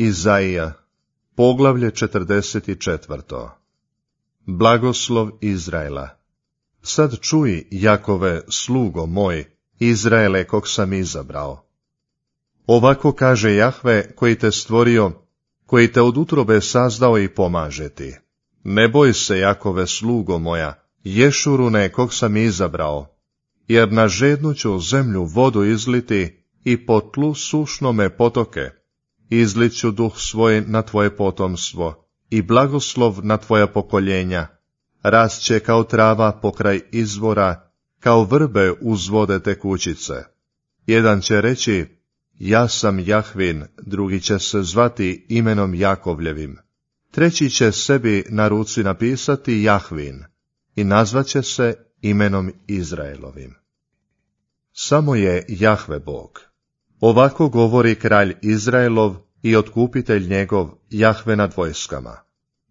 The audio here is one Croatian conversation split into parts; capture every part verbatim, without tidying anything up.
Izaija, poglavlje četrdeset četvrto. Blagoslov Izraela. Sad čuj, Jakove, slugo moj, Izraele, kog sam izabrao. Ovako kaže Jahve, koji te stvorio, koji te od utrobe sazdao i pomaže ti. Ne boj se, Jakove, slugo moja, Ješurune, kog sam izabrao, jer na žednu ću zemlju vodu izliti i po tlu sušnome potoke. Izlit ću duh svoj na tvoje potomstvo i blagoslov na tvoja pokoljenja. Rast će kao trava pokraj izvora, kao vrbe uz vode tekućice. Jedan će reći, ja sam Jahvin, drugi će se zvati imenom Jakovljevim. Treći će sebi na ruci napisati Jahvin i nazvaće se imenom Izraelovim. Samo je Jahve Bog. Ovako govori kralj Izraelov i otkupitelj njegov, Jahve nad vojskama.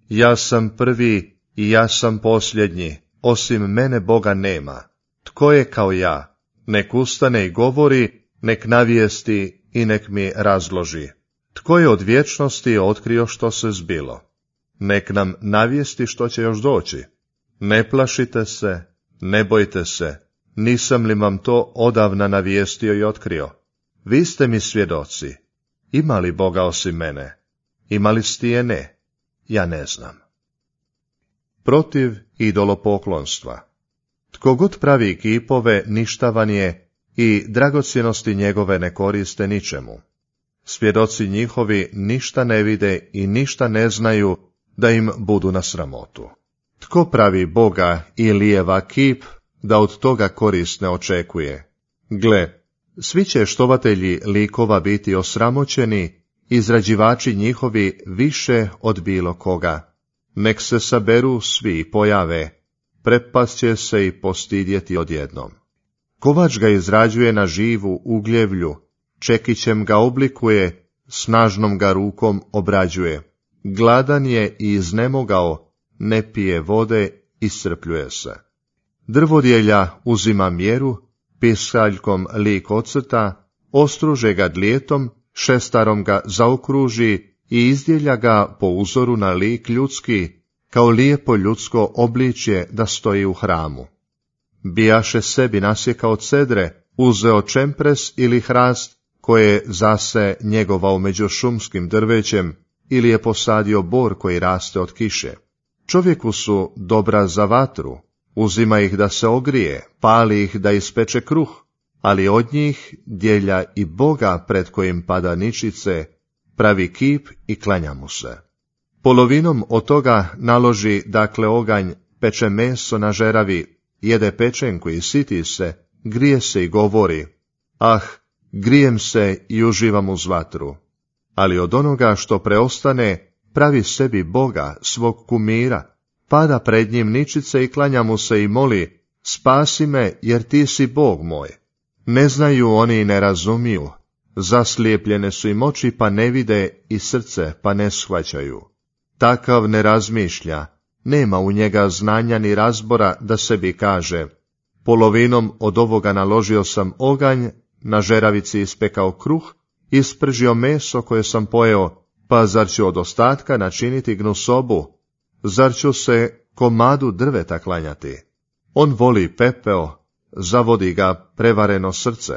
Ja sam prvi i ja sam posljednji, osim mene Boga nema. Tko je kao ja? Nek ustane i govori, nek navijesti i nek mi razloži. Tko je od vječnosti otkrio što se zbilo? Nek nam navijesti što će još doći. Ne plašite se, ne bojte se, nisam li vam to odavna navijestio i otkrio? Vi ste mi svjedoci. Ima li Boga osim mene? Ima li stijene? Ja ne znam. Protiv idolopoklonstva. Tko god pravi kipove, ništavan je i dragocjenosti njegove ne koriste ničemu. Svjedoci njihovi ništa ne vide i ništa ne znaju da im budu na sramotu. Tko pravi Boga i lijeva kip, da od toga korist ne očekuje? Gle, svi će štovatelji likova biti osramoćeni, izrađivači njihovi više od bilo koga. Nek se saberu svi i pojave, prepast će se i postidjeti odjednom. Kovač ga izrađuje na živu ugljevlju, čekićem ga oblikuje, snažnom ga rukom obrađuje. Gladan je i iznemogao, ne pije vode, iscrpljuje se. Drvodjelja uzima mjeru, pisaljkom lik ocrta, ostruže ga dlijetom, šestarom ga zaokruži i izdjelja ga po uzoru na lik ljudski, kao lijepo ljudsko obličje da stoji u hramu. Bijaše sebi nasjekao cedre, uzeo čempres ili hrast, koje zase njegovao među šumskim drvećem, ili je posadio bor koji raste od kiše. Čovjeku su dobra za vatru, uzima ih da se ogrije, pali ih da ispeče kruh, ali od njih djelja i Boga pred kojim pada ničice, pravi kip i klanja mu se. Polovinom od toga naloži dakle oganj, peče meso na žeravi, jede pečenku i siti se, grije se i govori, ah, grijem se i uživam uz vatru. Ali od onoga što preostane, pravi sebi Boga, svog kumira, pada pred njim ničice i klanja mu se i moli, spasi me jer ti si Bog moj. Ne znaju oni i ne razumiju, zaslijepljene su im oči pa ne vide i srce pa ne shvaćaju. Takav ne razmišlja, nema u njega znanja ni razbora da sebi kaže, polovinom od ovoga naložio sam oganj, na žeravici ispekao kruh, ispržio meso koje sam pojeo, pa zar ću od ostatka načiniti gnusobu? Zar ću se komadu drveta klanjati? On voli pepeo, zavodi ga prevareno srce.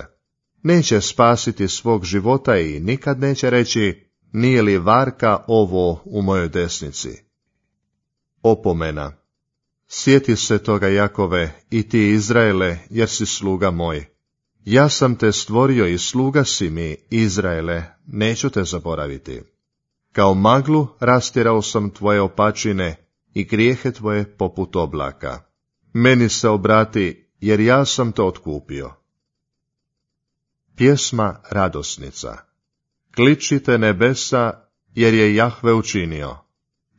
Neće spasiti svog života i nikad neće reći, nije li varka ovo u mojoj desnici? Opomena. Sjeti se toga, Jakove, i ti Izraele, jer si sluga moj. Ja sam te stvorio i sluga si mi, Izraele, neću te zaboraviti. Kao maglu rastirao sam tvoje opačine i grijehe tvoje poput oblaka. Meni se obrati, jer ja sam te otkupio. Pjesma radosnica. Kličite nebesa, jer je Jahve učinio.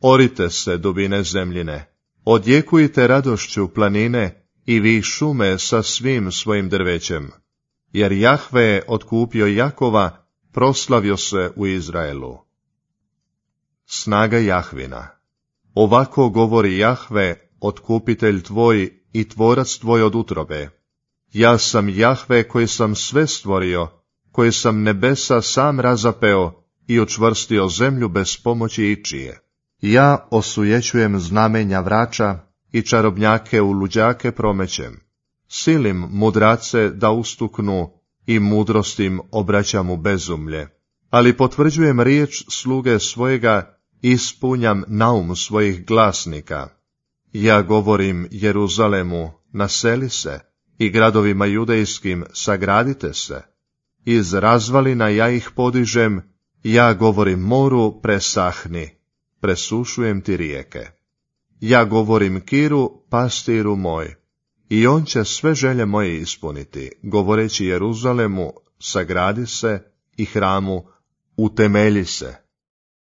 Orite se, dubine zemljine. Odjekujte radošću planine i vi šume sa svim svojim drvećem. Jer Jahve je otkupio Jakova, proslavio se u Izraelu. Snaga Jahvina. Ovako govori Jahve, otkupitelj tvoj i tvorac tvoj od utrobe. Ja sam Jahve koji sam sve stvorio, koji sam nebesa sam razapeo i učvrstio zemlju bez pomoći ičije. Ja osujećujem znamenja vrača i čarobnjake u luđake promećem. Silim mudrace da ustuknu i mudrostim obraćam u bezumlje. Ali potvrđujem riječ sluge svojega i ispunjam naum svojih glasnika. Ja govorim Jeruzalemu, naseli se, i gradovima judejskim, sagradite se. Iz razvalina ja ih podižem, ja govorim moru, presahni, presušujem ti rijeke. Ja govorim Kiru, pastiru moj, i on će sve želje moje ispuniti, govoreći Jeruzalemu, sagradi se, i hramu, utemelji se.